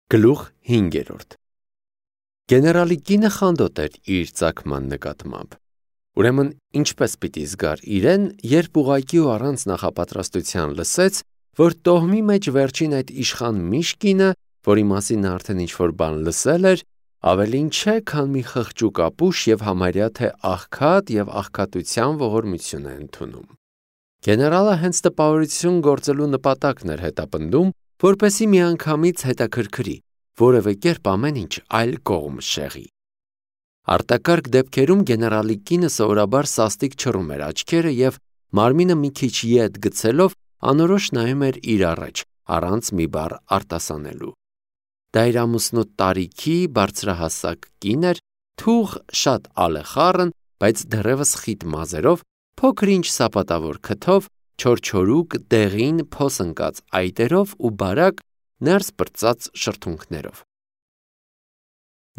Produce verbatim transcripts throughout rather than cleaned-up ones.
Գլուխ հինգերորդ Գեներալի կինը խանդոտ էր իր ծագման նկատմամբ, ուրեմն ինչպես պիտի զգար իրեն, երբ ուղղակի ու առանց նախապատրաստության լսեց, որ տոհմի մեջ վերջին այդ իշխան Միշկինը, որի մասին նա արդեն ինչ-որ բան լսել էր, ավելին չէ, քան մի խղճուկ ապուշ և համարյա թե աղքատ և աղքատության ողորմություն է ընդունում։ Գեներալը հենց տպավորություն գործելու նպատակն էր հետապնդում, որպեսզի միանգամից հետաքրքրի, որևէ կերպ ամեն ինչ այլ կողմ շեղի։ Արտակարգ դեպքերում գեներալի կինը սովորաբար սաստիկ չռում էր աչքերը և մարմինը մի քիչ ետ գցելով անորոշ նայում էր իր առաջ, առանց մի բառ արտասանելու։ Դա իր ամուսնու տարիքի բարձրահասակ կին էր, թուղ շատ ալեխառն, բայց դեռևս խիտ մազերով, փոքր-ինչ սապատավոր քթով, չորչորուկ դեղին փոս ընկած այտերով ու բարակ ներս պրծած շրթունքներով։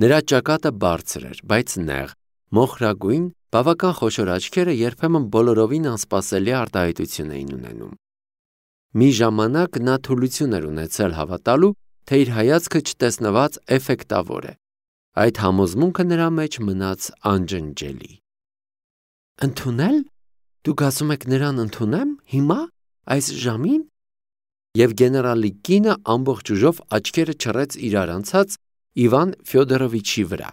Նրա ճակատը բարձր էր, բայց նեղ, մոխրագույն, բավական խոշոր աչքերը երբեմն բոլորովին անսպասելի արտահայտություն էին ունենում։ Մի ժամանակ նա թուլություն էր ունեցել հավատալու, թե իր հայացքը չտեսնված էֆեկտավոր է։ Այդ համոզմունքը նրա մեջ մնաց անջնջելի։ Ընդունել։ Դուք ասում եք նրան ընդունեմ հիմա, այս ժամին։ Եվ գեներալի կինը ամբողջ ուժով աչքերը չռեց իրար անցած Իվան Ֆյոդորովիչի վրա։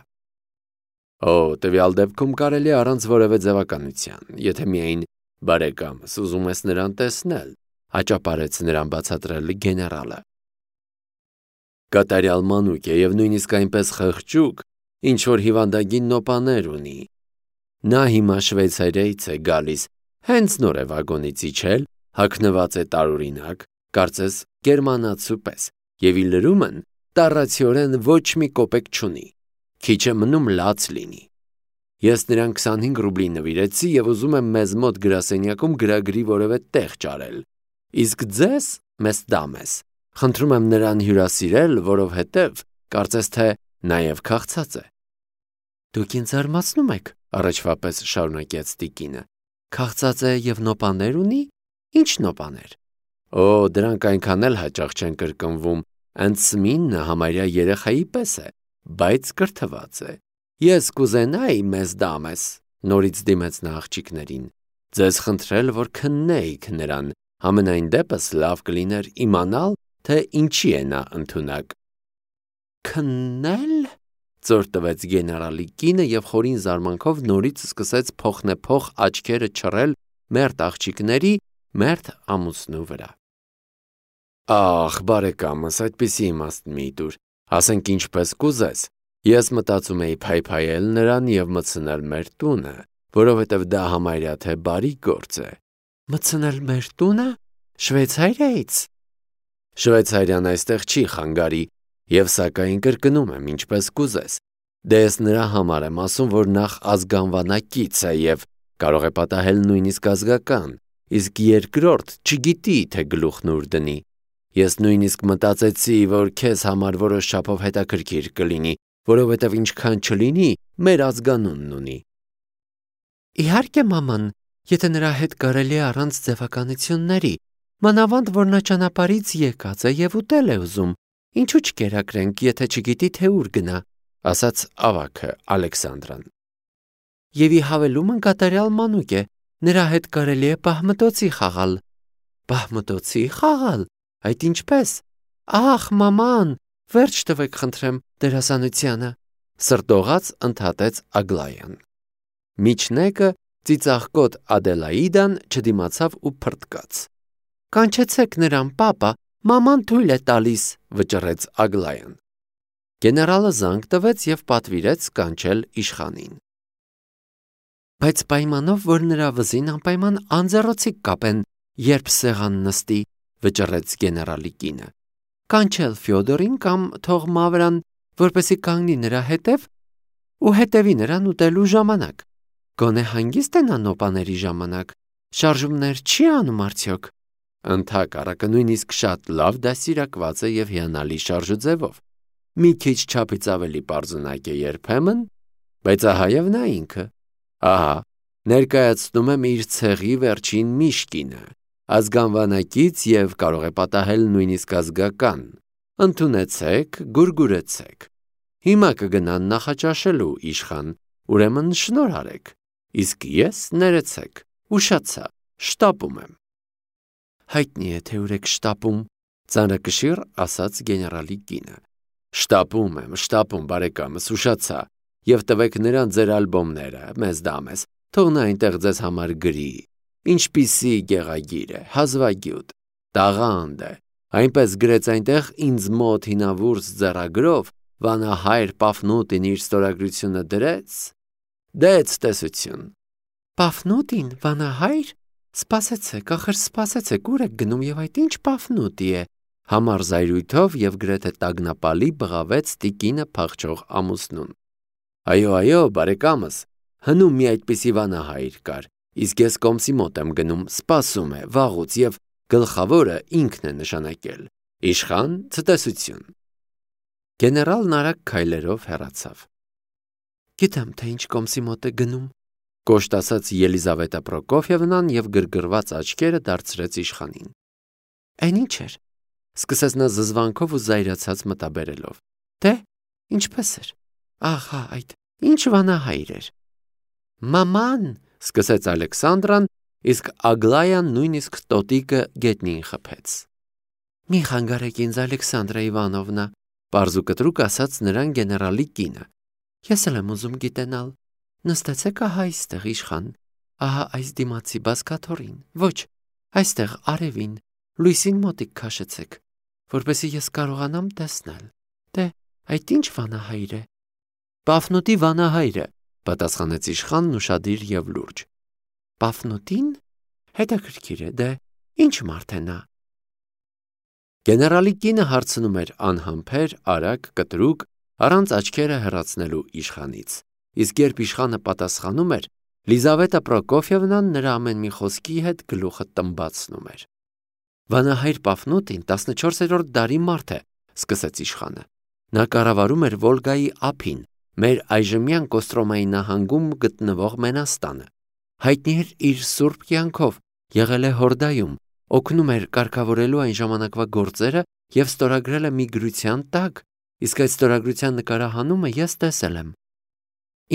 Օ, տվյալ դեպքում կարելի է առանց որևէ ձևականության, եթե միայն բարեկամս ուզում ես նրան տեսնել, հաճապարեց նրան բացատրել գեներալը։ Կատարյալ մանուկ է և նույնիսկ այնպես խղճուկ, ինչ որ հիվանդագին նոպաներ ունի։ Նա հիմա Շվեյցարիայից է գալիս, հենց նոր է վագոնից իջել, հագնված է տարօրինակ, կարծես գերմանացու պես, և իր լրումն տառացիորեն ոչ մի կոպեկ չունի, քիչ է մնում լաց լինի։ Ես նրան քսանհինգ ռուբլի նվիրեցի և ուզում եմ մեզ մոտ գրասենյակում գրագրի որևէ տեղ ճարել, իսկ ձեզ, մեծ դամես, խնդրում եմ նրան հյուրասիրել, որովհետև կարծես թե նաև քաղցած է։ Դուք ինձ զարմացնում եք, առաջվա պես շարունակեց տիկինը, քաղցած է և նոպաներ ունի։ Ինչ նոպաներ։ Օ, դրանք այնքան էլ հաճախ չեն կրկնվում, Անցմինը համարյա երեխայի պես է, բայց կրթված է։ Ես կուզենայի, մեծ դամես, նորից դիմեց նա աղջիկներին, ձեզ խնդրել, որ քննեիք նրան, համենայն դեպս լավ կլիներ իմանալ, թե ինչի է նա ընդունակ։ Քննել։ Ծոր տվեց գեներալի կինը և խորին զարմանքով նորից սկսեց փոխնեփոխ աչքերը չռել մերթ աղջիկների, մերթ ամուսնու վրա։ Ախ, բարեկամս, այդպիսի իմաստ մի տուր, ասենք ինչպես կուզես, ես մտածում էի փայփայել նրան և մտցնել մեր տունը, որովհետև դա համարյա թե բարի գործ է։ Մտցնել մեր տունը։ Շվեյցարիայից։ Շվեյցարիան այստեղ չի խանգարի, և սակայն կրկնում եմ, ինչպես կուզես։ Դե ես նրա համար եմ ասում, որ նախ ազգանվանակից է և կարող է պատահել նույնիսկ ազգական, իսկ երկրորդ չգիտի, թե գլուխն ուր դնի։ Ես նույնիսկ մտածեցի, որ քեզ համար որոշ չափով հետաքրքիր կլինի, որովհետև ինչքան չլինի, մեր ազգանունն ունի։ Իհարկե, մաման, եթե նրա հետ կարելի է առանց ձևականությունների, մանավանդ որ նա ճանապարհից եկած է և ուտել է ուզում, ինչու չկերակրենք, եթե չգիտի, թե ուր գնա, ասաց ավագը Ալեքսանդրան։ Եվ ի հավելումն կատարյալ մանուկ է, նրա հետ կարելի է պահմտոցի խաղալ։ Պահմտոցի խաղալ։ Այդ ինչպես։ Ախ, մաման, վերջ տվեք խնդրեմ դերասանությանը, սրտողաց ընդհատեց Ագլայան։ Միջնեկը ծիծաղկոտ Ադելաիդան չդիմացավ ու փռթկաց։ Կանչեցեք նրան, պապա, մաման թույլ է տալիս, վճռեց Ագլայան։ Գեներալը զանգ տվեց և պատվիրեց կանչել իշխանին։ Բայց պայմանով, որ նրա վզին անպայման անձեռոցիկ կապեն, երբ սեղան նստի, վճռեց գեներալի կինը։ Կանչել Ֆյոդորին կամ թող Մավրան, որպեսզի կանգնի նրա հետև ու հետևի նրան ուտելու ժամանակ։ Գոնե հանգիստ է նա նոպաների ժամանակ, շարժումներ չի անում արդյոք։ Ընդհակառակը նույնիսկ շատ լավ դաստիարակված է և հիանալի շարժուձևով։ Մի քիչ չափից ավելի պարզունակ է երբեմն, բայց ահա և նա ինքը։ Ահա, ներկայացնում եմ իր ցեղի վերջին Միշկինը, ազգանվանակից և կարող է պատահել նույնիսկ ազգական։ ընդունեցեք, գուրգուրեցեք։ Հիմա կգնան նախաճաշելու իշխան, ուրեմն շնորհ արեք, իսկ ես ներեցեք, ուշացա, շտապում եմ։ Հայտնի է, թե ուր եք շտապում, ծանրակշիռ ասաց գեներալի կինը։ Շտապում եմ, շտապում, բարեկամս, ուշացա, եւ տվեք նրան ձեր ալբոմները, մեզ դամես, թող նա այնտեղ ձեզ համար գրի։ Ինչպիսի գեղագիր է, հազվագյուտ, տաղանդ է, այնպես գրեց այնտեղ ինձ մոտ հինավուրց ձեռագրով, վանահայր Պաֆնուտին իր ստորագրությունը դրեց, դեց տեսություն։ Պաֆնուտին, վանահայր, սպասեցեք, ախր սպասեցեք, ուր եք գնում եւ այդ ինչ Պաֆնուտի է, համառ զայրույթով եւ գրեթե տագնապալի բղավեց տիկինը փախչող ամուսնուն։ Այո, այո, բարեկամս, հնում մի այդպիսի վանահայր կար, իսկ ես կոմսի մոտ եմ գնում, սպասում է, վաղուց եւ գլխավորը ինքն է նշանակել։ Իշխան, ցտեսություն։ Գեներալն արագ քայլերով հեռացավ։ Գիտեմ, թե ինչ կոմսի մոտ է գնում, կոշտ ասաց Ելիզավետա Պրոկոֆիևնան եւ գրգռված աչքերը դարձրեց իշխանին։ Այն ինչ էր, սկսեց նա զզվանքով ու զայրացած մտաբերելով։ Դե, ինչպես էր։ Ահա, այդ ինչ վանահայր էր։ Մաման, սկսեց Ալեքսանդրան, իսկ Ագլայան նույնիսկ տոտիկը գետնին խփեց։ Մի խանգարեք ինձ, Ալեքսանդրա Իվանովնա, պարզ ու կտրուկ ասաց նրան գեներալի կինը։ Ես էլ եմ ուզում գիտենալ։ Նստեցեք ահա այստեղ, իշխան, ահա այս դիմացի բազկաթոռին, ոչ, այստեղ արևին, լույսին մոտիկ քաշեցեք, որպեսզի ես կարողանամ տեսնել։ Դե, այդ ինչ վանահայր է։ Պաֆնուտի վանահայրը, պատասխանեց իշխանն ուշադիր եւ լուրջ։ Պաֆնուտին? Հետաքրքիր է, դե, ինչ մարդ է նա։ Գեներալի կինը հարցնում էր անհամբեր, արագ, կտրուկ, առանց աչքերը հեռացնելու իշխանից, իսկ երբ իշխանը պատասխանում էր, Լիզավետա Պրոկոֆիևնան նրա ամեն մի խոսքի հետ գլուխը տմբացնում էր։ Վանահայր Պաֆնուտին տասնչորսերորդ դարի մարդ է, սկսեց իշխանը։ Նա կառավարում էր Վոլգայի ափին, մեր այժմյան Կոստրոմայի նահանգում գտնվող Մենաստանը։ Հայտնի էր իր սուրբ կյանքով, եղել է Հորդայում, օգնում էր կարգավորելու այն ժամանակվա գործերը եւ ստորագրել է մի գրության տակ, իսկ այդ ստորագրության նկարահանումը ես տեսել եմ։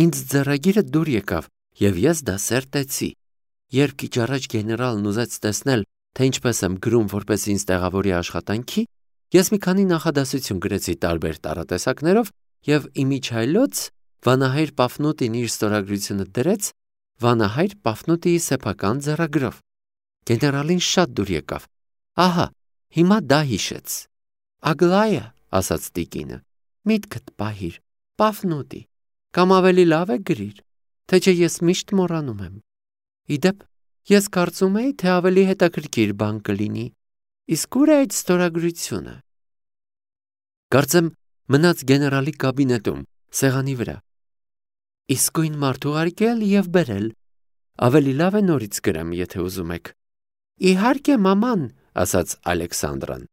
Ինձ ձեռագիրը դուր եկավ եւ ես դա սերտեցի։ Երբ քիչ առաջ գեներալն ուզեց տեսնել, թե ինչպես եմ գրում, որպես ինձ տեղավորի աշխատանքի, ես մի քանի նախադասություն գրեցի տարբեր տառատեսակներով եւ իմիջայլոց վանահայր Պաֆնուտին իր ստորագրությունը դրեց վանահայր Պաֆնուտիի սեփական ձեռագրով։ Գեներալին շատ դուր եկավ։ Ահա, հիմա դա հիշեց։ Ագլայա, ասաց տիկինը, միտքդ պահիր, Պաֆնուտի, կամ ավելի լավ է գրիր, թե չէ ես միշտ մոռանում եմ։ Իդեպ, ես կարծում էի, թե ավելի հետաքրքիր բան կլինի, իսկ ուր է այդ ստորագրությունը։ Կարծեմ մնաց գեներալի կաբինետում, սեղանի վրա։ Իսկույն մարդ ուղարկել եւ բերել։ Ավելի լավ է նորից գրեմ, եթե ուզում եք։ Իհարկե, մաման, ասաց Ալեքսանդրան։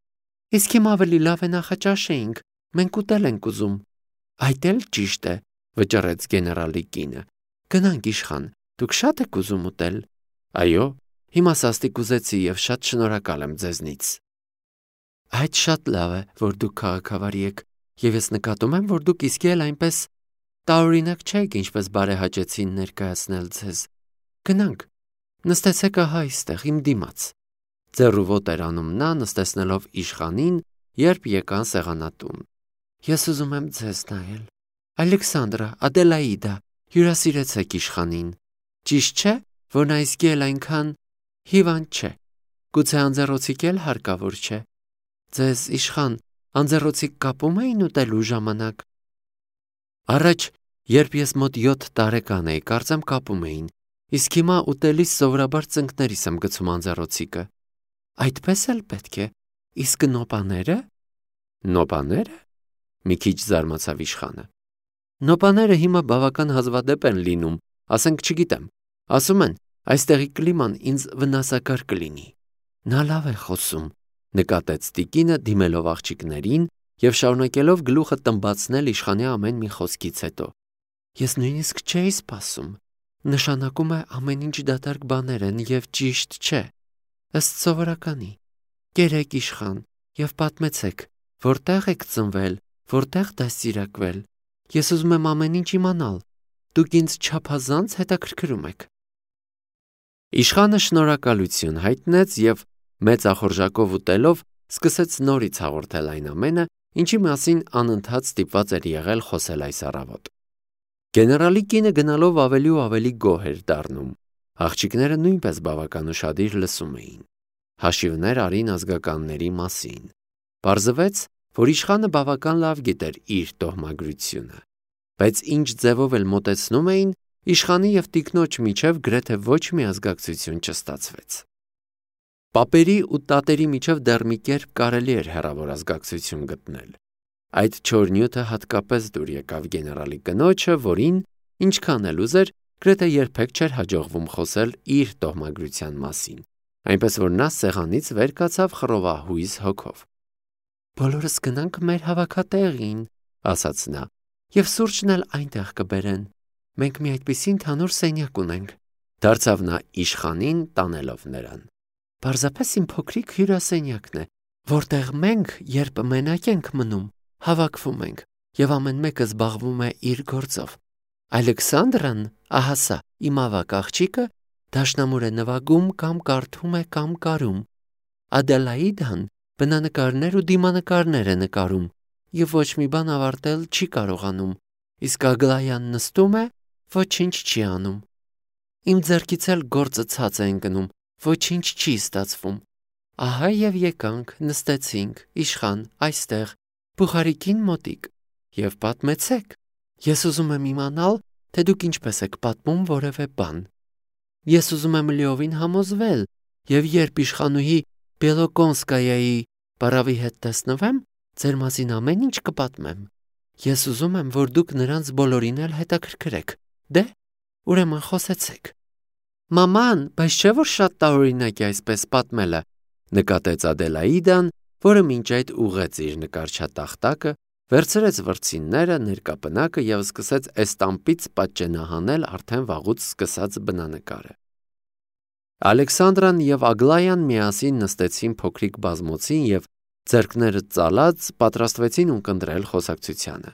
Իսկ հիմա ավելի լավ է նախաճաշեինք, մենք ուտել ենք ուզում։ Այդ էլ ճիշտ է, վճռեց գեներալի կինը։ Գնանք իշխան, դուք շատ եք ուզում ուտել։ Այո, հիմա սաստիկ ուզեցի եւ շատ շնորհակալ եմ ձեզնից։ Այդ շատ լավ է, որ դուք քաղաքավարի եք, եւ ես նկատում եմ, որ դուք իսկի էլ այնպես տարօրինակ չեք, ինչպես բարեհաճեցին ներկայացնել ձեզ։ Գնանք, նստեցեք ահա այստեղ, իմ դիմաց։ Ձեռու ոտեր էր անում նա, նստեցնելով իշխանին, երբ եկան սեղանատուն։ Ես ուզում եմ ձեզ նայել։ Ալեքսանդրա, Ադելաիդա, հյուրասիրեցեք իշխանին։ Ճիշտ չէ, որ նա իսկի էլ այնքան հիվանդ չէ։ Գուցե անձեռոցիկ էլ հարկավոր չէ։ Ձեզ իշխան, անձեռոցիկ կապում էին ուտելու ժամանակ։ Առաջ, երբ ես մոտ յոթ տարեկան էի, կարծեմ կապում էին, իսկ հիմա ուտելիս սովորաբար ծնկներիս եմ գցում անձեռոցիկը։ Այդպես էլ պետք է։ Իսկ նոպաները։ Նոպաները։ Մի քիչ զարմացավ իշխանը։ Նոպաները հիմա բավական հազվադեպ են լինում, ասենք չգիտեմ, ասում են, այստեղի կլիման ինձ վնասակար կլինի։ Նա լավ է խոսում, նկատեց տիկինը դիմելով աղջիկներին եւ շարունակելով գլուխը տմբացնել իշխանի ամեն մի խոսքից հետո։ Ես նույնիսկ չէի սպասում։ Նշանակում է ամեն ինչ դատարկ բաներ են եւ ճիշտ չէ։ Ըստ սովորականի։ Կերեք իշխան եւ պատմեցեք, Որտեղ եք ծնվել, որտեղ դաստիարակվել։ Ես ուզում եմ ամեն ինչ իմանալ։ Դուք ինձ չափազանց հետաքրքրում եք։ Իշխանը շնորհակալություն հայտնեց եւ մեծ ախորժակով ուտելով սկսեց նորից հաղորդել այն ամենը, ինչի մասին անընդհատ ստիպված էր եղել խոսել այս առավոտ։ Գեներալի կինը գնալով ավելի ու ավելի գոհ էր դառնում։ Աղջիկները նույնպես բավական ուշադիր լսում էին։ Հաշիվներ արին ազգականների մասին։ Պարզվեց, որ իշխանը բավական լավ գիտեր իր տոհմագրությունը, բայց ինչ ձևով էլ մոտեցնում էին, իշխանի եւ տիկնոջ միջև գրեթե ոչ մի ազգակցություն չստացվեց։ Պապերի ու տատերի միջև դեռ մի կերպ կարելի էր հեռավոր ազգակցություն գտնել։ Այդ չոր նյութը հատկապես դուր եկավ գեներալի կնոջը, որին, ինչքան էլ ուզեր, գրեթե երբեք չէր հաջողվում խոսել իր տոհմագրության մասին, այնպես որ նա սեղանից վեր կացավ խռովահույզ հոգով։ Բոլորս գնանք մեր հավաքատեղին, ասաց նա, եւ սուրճն էլ այնտեղ կբերեն։ Մենք մի այդպիսի ընդհանուր սենյակ ունենք։ Դարձավ նա իշխանին, տանելով նրան։ Պարզապես իմ փոքրիկ հյուրասենյակն է, որտեղ մենք, երբ մենակ ենք մնում, հավաքվում ենք, եւ ամեն մեկը զբաղվում է իր գործով։ Ալեքսանդրան, ահա սա, իմ ավագ աղջիկը, դաշնամուր է նվագում կամ կարդում է կամ կարում։ Ադելաիդան բնանկարներ ու դիմանկարներ է նկարում եւ ոչ մի բան ավարտել չի կարողանում, իսկ Ագլայան նստում է, ոչինչ չի անում։ Իմ ձեռքից էլ գործը ցած է ընկնում, ոչինչ չի ստացվում։ Ահա եւ եկանք, նստեցինք, իշխան, այստեղ, Բուխարիկին մոտիկ, եւ պատմեցեք։ Ես ուզում եմ իմանալ, թե դուք ինչպես եք պատմում որևէ բան։ Ես ուզում եմ լիովին համոզվել, եւ երբ իշխանուհի Բելոկոնսկայայի բարավի հետ տեսնվեմ, ձեր մասին ամեն ինչ կպատմեմ։ Ես ուզում եմ, որ դուք նրանց բոլորին էլ հետաքրքրեք։ Դե, ուրեմն խոսեցեք։ Մաման, բայց չէ՞ որ շատ տարօրինակ է այսպես պատմելը, նկատեց Ադելաիդան, որը մինչ այդ ուղղեց իր նկարչատախտակը, վերցրեց վրձինները, ներկապնակը եւ սկսեց էստամպից պատճենահանել արդեն վաղուց սկսած բնանկարը։ Ալեքսանդրան եւ Ագլայան միասին նստեցին փոքրիկ բազմոցին եւ ձեռքները ծալած պատրաստվեցին ունկնդրել խոսակցությանը։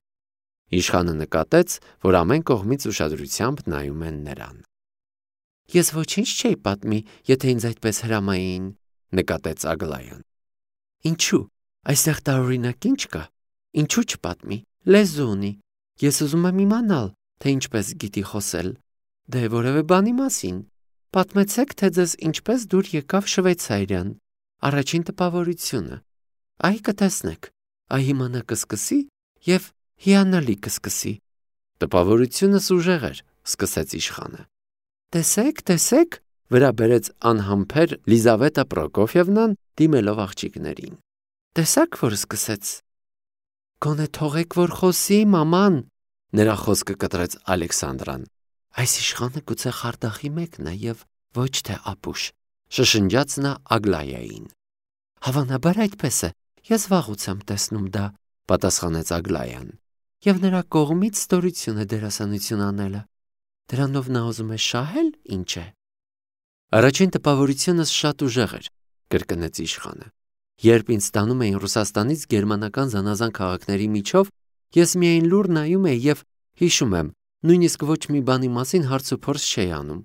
Իշխանը նկատեց, որ ամեն կողմից ուշադրությամբ նայում են նրան։ Ես ոչինչ չէի պատմի, եթե ինձ այդպես հրամայեին, նկատեց Ագլայան։ Ինչու՞, այստեղ տարօրինակ ինչ կա։ Ինչու չպատմի, լեզու ունի։ Ես ուզում եմ իմանալ, թե ինչպես գիտի խոսել։ Դե որևէ բանի մասին։ Պատմեցեք, թե ձեզ ինչպես դուր եկավ Շվեյցարիան, առաջին տպավորությունը։ Այ կտեսնեք, այ հիմա նա կսկսի եւ հիանալի կսկսի։ Տպավորությունս ուժեղ էր, սկսեց իշխանը։ Տեսեք, տեսեք, վրա բերեց անհամբեր Լիզավետա Պրոկոֆիևնան, դիմելով աղջիկներին։ Տեսաք, որ սկսեց։ Գոնե թողեք, որ խոսի, մաման, նրա խոսքը կտրեց Ալեքսանդրան։ Այս իշխանը գուցե խարդախի մեկն է եւ ոչ թե ապուշ, շշնջաց նա Ագլայային։ Հավանաբար այդպես է, ես վաղուց եմ տեսնում դա, պատասխանեց Ագլայան։ Եվ նրա կողմից ստորություն է դերասանություն անելը։ Դրանով նա ուզում է շահել, ինչ է։ Առաջին տպավորությունս շատ ուժեղ էր, կրկնեց իշխանը։ Երբ ինձ տանում էին Ռուսաստանից գերմանական զանազան քաղաքների միջով, ես միայն լուր նայում էի եւ հիշում եմ, նույնիսկ ոչ մի բանի մասին հարց ու փորձ չէի անում։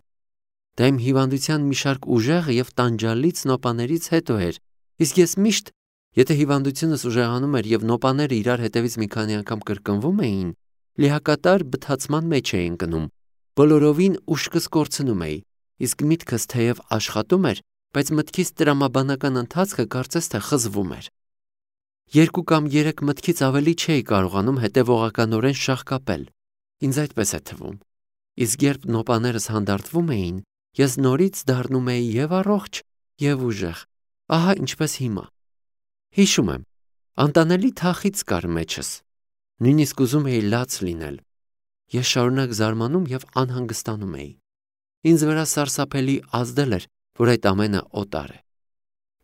Դա իմ հիվանդության մի շարք ուժեղ եւ տանջալից նոպաներից հետո էր, իսկ ես միշտ, եթե հիվանդությունս ուժեղանում էր եւ նոպաները իրար հետևից մի քանի անգամ կրկնվում էին, լիակատար բթացման մեջ էի ընկնում, բոլորովին ուշքս կորցնում էի, իսկ միտքս թեև աշխատում էր, բայց մտքից տրամաբանական ընթացքը կարծես թե խզվում էր։ Երկու կամ երեք մտքից ավելի չէի կարողանում հետևողականորեն շաղկապել։ Ինձ այդպես է թվում։ Իսկ երբ նոպաներս հանդարտվում էին, ես նորից դառնում էի եւ առողջ, եւ ուժեղ։ Ահա ինչպես հիմա։ Հիշում եմ, անտանելի թախից կար մեջս։ Նույնիսկ ուզում էի լաց լինել։ Ես շարունակ զարմանում եւ անհանգստանում էի։ Ինձ վրա սարսափելի ազդել էր, որ այդ ամենը օտար է։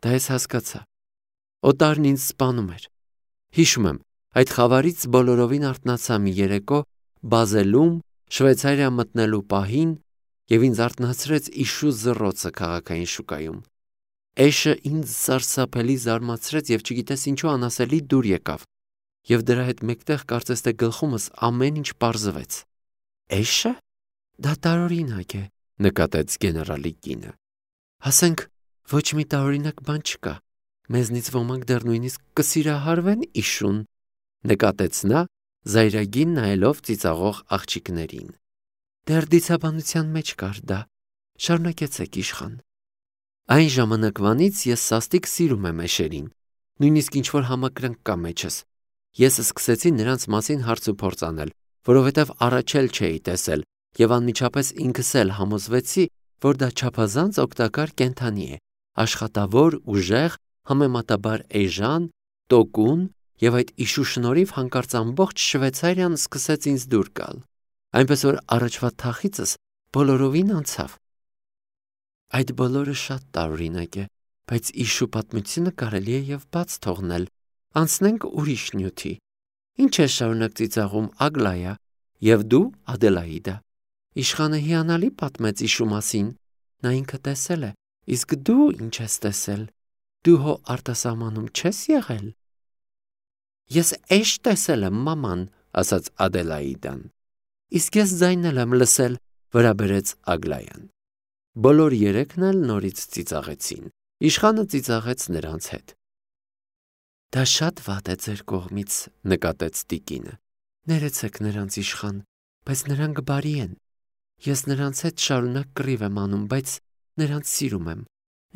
Դա ես հասկացա։ Օտարն ինձ սպանում էր։ Հիշում եմ, այդ խավարից բոլորովին արթնացա մի երեկո Բազելում, Շվեյցարիա մտնելու պահին, եւ ինձ արթնացրեց իշու զռոցը քաղաքային շուկայում։ Էշը ինձ սարսափելի զարմացրեց և չգիտես ինչու անասելի դուր եկավ, և դրա հետ մեկտեղ կարծես թե գլխումս ամեն ինչ պարզվեց։ Էշը? Դա տարօրինակ է, նկատեց գեներալի կինը։ Ասենք, ոչ մի տարօրինակ բան չկա։ Մեզնից ոմանք դեռ նույնիսկ կսիրահարվեն իշուն, նկատեց նա, զայրագին նայելով ծիծաղող աղջիկներին։ Դեռ դիցաբանության մեջ կար դա։ Շարունակեցեք, իշխան։ Այն ժամանակվանից ես սաստիկ սիրում եմ էշերին, նույնիսկ ինչ-որ համակրանք կա մեջս։ Ես սկսեցի նրանց մասին հարց ու փորձ անել, որովհետև առաջ էլ չէի տեսել, և անմիջապես ինքս էլ համոզվեցի, որ դա չափազանց օգտակար կենդանի է, աշխատավոր, ուժեղ, համեմատաբար էժան, տոկուն, և այդ իշու շնորհիվ հանկարծ ամբողջ Շվեյցարիան սկսեց ինձ դուր գալ, այնպես որ առաջվա թախիծս բոլորովին անցավ։ Այդ բոլորը շատ տարօրինակ է, բայց իշու պատմությունը կարելի է և բաց թողնել, անցնենք ուրիշ նյութի։ Ինչ ես շարունակ ծիծաղում, Ագլայա, և դու, Ադելաիդա։ Իշխանը հիանալի պատմեց իշու մասին, նա ինքը տեսել է, իսկ դու ինչ ես տեսել, դու հո արտասահմանում չես եղել։ Ես էշ տեսել եմ, մաման, ասաց Ադելաիդան։ Իսկ ես ձայնն էլ եմ լսել, վրա բերեց Ագլայան։ Բոլոր երեքն էլ նորից ծիծաղեցին։ Իշխանը ծիծաղեց նրանց հետ։ Դա շատ վատ է ձեր կողմից, նկատեց տիկինը։ Ներեցեք նրանց, իշխան, բայց նրանք բարի են։ Ես նրանց հետ շարունակ կռիվ եմ անում, բայց նրանց սիրում եմ։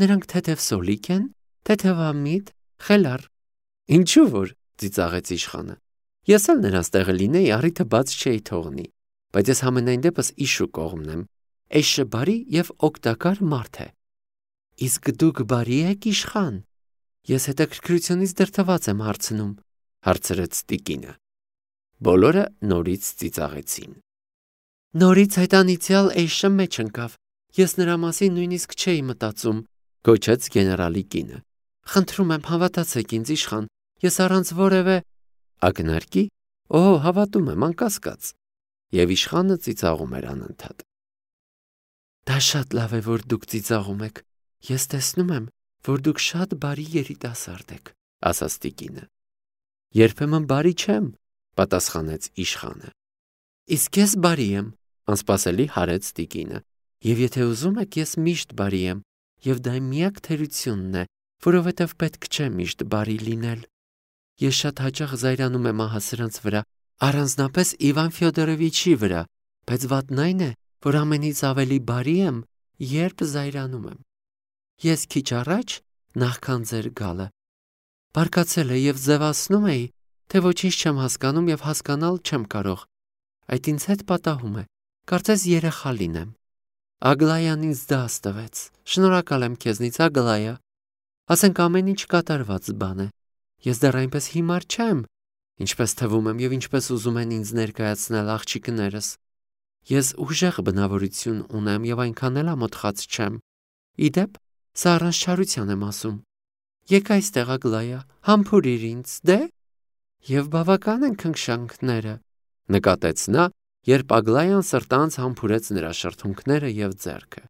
Նրանք թեթև սոլիկ են, թեթևամիտ, խելառ։ Ինչու որ, ծիծաղեց իշխանը։ Ես էլ նրանց տեղը լինեի, առիթը բաց չէի թողնի, բայց ես համենայն դեպս իշու կողմն եմ։ Էշը բարի և օգտակար մարդ է։ Իսկ դուք բարի եք, իշխան։ Ես հետաքրքրությունից դրդված եմ հարցնում, հարցրեց տիկինը։ Բոլորը նորից ծիծաղեցին։ Նորից այդ անիծյալ էշը մեջ ընկավ։ Ես նրա մասին նույնիսկ չէի մտածում, գոչեց գեներալի կինը։ Խնդրում եմ, հավատացեք ինձ, իշխան, ես առանց որևէ ակնարկի, օ, հավատում եմ, անկասկած։ Եվ իշխանը ծիծաղում էր անընդհատ։ Դա շատ լավ է, որ դուք ծիծաղում եք։ Ես տեսնում եմ, որ դուք շատ բարի երիտասարդ եք, ասաց տիկինը։ Երբեմն բարի չեմ, պատասխանեց իշխանը։ Իսկ ես բարի եմ, անսպասելի հարեց տիկինը։ Եվ եթե ուզում եք, ես միշտ բարի եմ, և դա իմ միակ թերությունն է, որովհետև պետք չէ միշտ բարի լինել։ Ես շատ հաճախ զայրանում եմ ահա սրանց վրա, առանձնապես Իվան Ֆյոդորովիչի վրա, բայց վատն այն է, որ ամենից ավելի բարի եմ, երբ զայրանում եմ։ Ես քիչ առաջ, նախքան ձեր գալը, բարկացել էի և ձևացնում էի, թե ոչինչ չեմ հասկանում և հասկանալ չեմ կարող։ Այդ ինձ հետ պատահում է, կարծես երեխա լինեմ։ Ագլայան ինձ դաս տվեց։ Շնորհակալ եմ քեզնից, Ագլայա։ Ասենք ամեն ինչ կատարված բան է։ Ես դեռ այնպես հիմար չեմ, ինչպես թվում եմ և ինչպես ուզում են ինձ ներկայացնել աղջիկներս։ Ես ուժեղ բնավորություն ունեմ և այնքան էլ ամոթխած չեմ։ Իդեպ, սա առանց չարության եմ ասում։ Եկ այստեղ, Ագլայա, համբուրիր ինձ, դե։ Եվ բավական են քնքշանքները, նկատեց նա, երբ Ագլայան սրտանց համբուրեց նրա շրթունքները և ձեռքը։